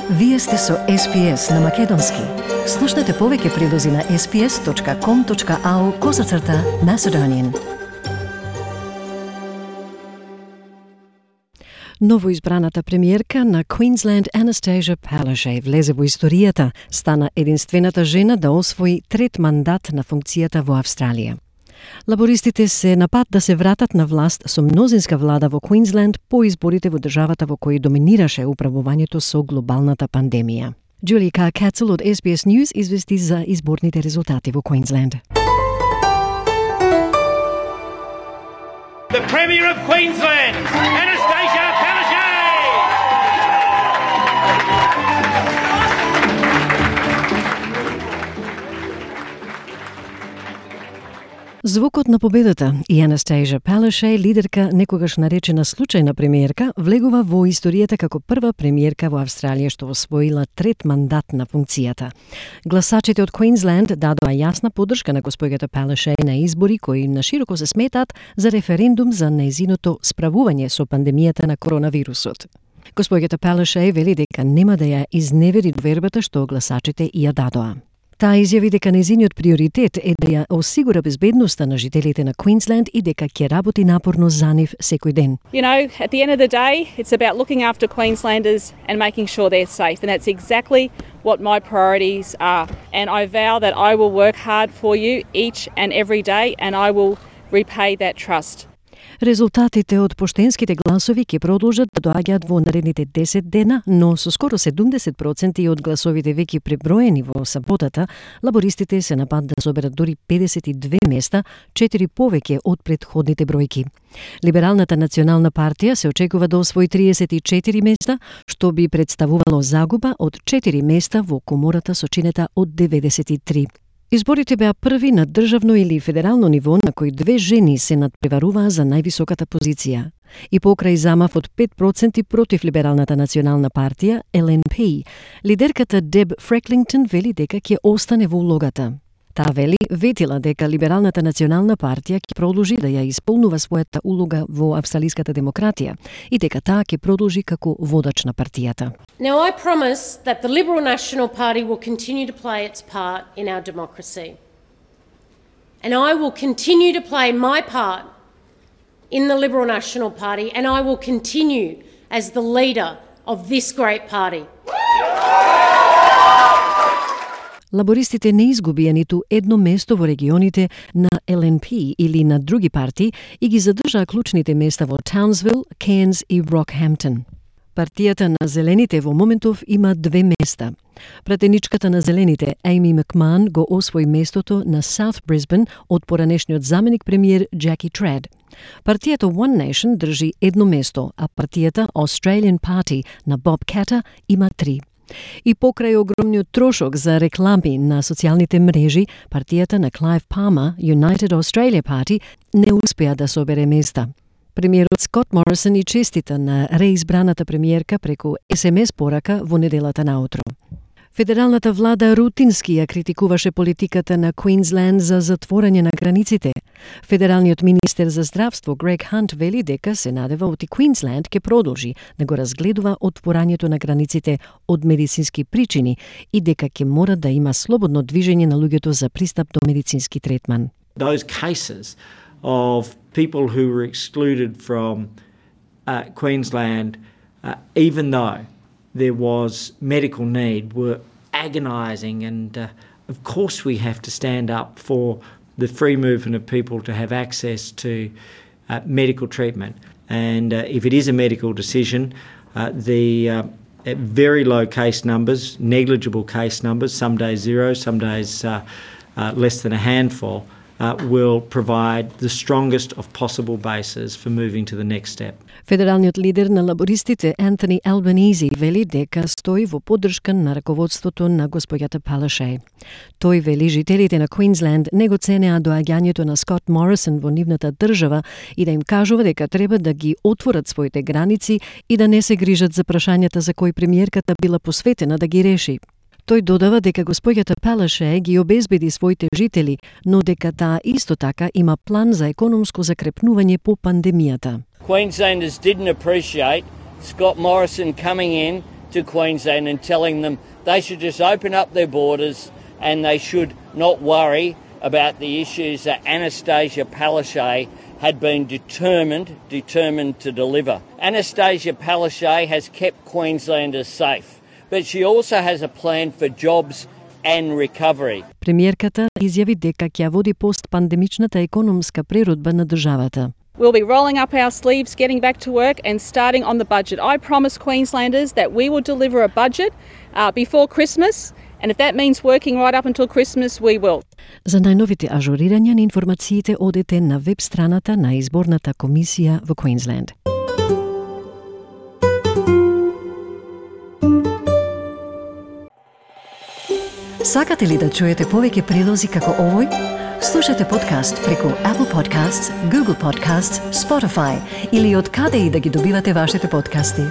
Вие сте со SPS на Македонски. Слушнете повеќе прилози на sps.com.au/Macedonian. Новоизбраната премиерка на Queensland Anastasia Palaszczuk влезе во историјата, стана единствената жена да освои трет мандат на функцијата во Австралија. Лабористите се на пат да се вратат на власт со мнозинска влада во Квинсленд по изборите во државата во кој доминираше управувањето со глобалната пандемија. Джули Кацел од SBS News извести за изборните резултати во Квинсленд. The Premier of Queensland, Anastasia Palaszczuk! Звукот на победата и Anastasia Palaszczuk, лидерка некогаш наречена случајна премиерка, влегува во историјата како прва премиерка во Австралија што освоила трет мандат на функцијата. Гласачите од Квинсленд дадоа јасна поддршка на госпојата Palaszczuk на избори кои нашироко се сметаат за референдум за нејзиното справување со пандемијата на коронавирусот. Госпојата Palaszczuk вели дека нема да ја изневери довербата што гласачите ја дадоа. Таа изјави дека нејзиниот приоритет е да ја осигура безбедноста на жителите на Квинсленд и дека ќе работи напорно за нив секој ден. You know, at the end of the day, it's about looking after Queenslanders and making sure they're safe, and that's exactly what my priorities are. And I vow that I will work hard for you each and every day, and I will repay that trust. Резултатите од поштенските гласови ќе продолжат да доаѓаат во наредните 10 дена, но со скоро 70% од гласовите веќе преброени во саботата, лабористите се на пат да соберат дури 52 места, 4 повеќе од претходните бројки. Либералната национална партија се очекува да освои 34 места, што би представувало загуба од 4 места во комората со чинета од 93. Изборите беа први на државно или федерално ниво на кои две жени се надпреваруваа за највисоката позиција. И покрај замав од 5% против Либералната национална партија, LNP, лидерката Деб Фреклингтон вели дека ќе остане во улогата. Таа вели ветила дека Либералната национална партија ќе продолжи да ја исполнува својата улога во австралиската демократија и дека таа ќе продолжи како водач на партијата. Now I promise that the Liberal National Party will continue to play its part in our democracy. And I will continue to play my part in the Liberal National Party, and I will continue as the leader of this great party. Лабористите не изгубија ниту едно место во регионите на LNP или на други партии и ги задржаа клучните места во Townsville, Cairns и Rockhampton. Партијата на Зелените во моментов има 2 места. Пратеничката на Зелените, Amy McMahon, го освои местото на South Brisbane од поранешниот заменик премиер Jackie Trad. Партијата One Nation држи 1 место, а партијата Australian Party на Bob Katter има 3. И покрај огромниот трошок за реклами на социјалните мрежи, партијата на Clive Palmer, United Australia Party, не успеа да собере места. Премиерот Скот Морисон и честита на реизбраната премиерка преку SMS порака во неделата наутро. Федералната влада рутински ја критикуваше политиката на Квинсленд за затворање на границите. Федералниот министер за здравство Грег Хант вели дека се надева оти Квинсленд ќе продолжи да го разгледува отворањето на границите од медицински причини и дека ќе мора да има слободно движење на луѓето за пристап до медицински третман. Those cases of people who were excluded from Queensland, even though there was medical need, were agonising, and of course we have to stand up for the free movement of people to have access to medical treatment. And if it is a medical decision, the very low case numbers, negligible case numbers, some days 0, some days less than a handful, will provide the strongest of possible bases for moving to the next step. Федералниот лидер на лабористите Антони Албанизи вели дека стои во поддршка на раководството на госпојата Palaszczuk. Тој вели жителите на Квинсленд не го ценеа доаѓањето на Скот Морисон во нивната држава и да им кажува дека треба да ги отворат своите граници и да не се грижат за прашањата за кои премиерката била посветена да ги реши. Тој додава дека госпојата Palaszczuk ги обезбеди своите жители, но дека таа исто така има план за економско закрепнување по пандемијата. Queenslanders didn't appreciate Scott Morrison coming in to Queensland and telling them they should just open up their borders and they should not worry about the issues that Anastasia Palaszczuk had been determined to deliver. Anastasia Palaszczuk has kept Queenslanders safe, but she also has a plan for jobs and recovery. Премиерката изјави дека ќе води постпандемичната економска преродба на државата. We'll be rolling up our sleeves, getting back to work and starting on the budget. I promise Queenslanders that we will deliver a budget before Christmas, and if that means working right up until Christmas, we will. За најновите ажурирања на информациите одете на веб страната на изборната комисија во Квинсленд. Сакате ли да чуете повеќе прилози како овој? Слушате подкаст преку Apple Podcasts, Google Podcasts, Spotify или од каде и да ги добивате вашите подкасти.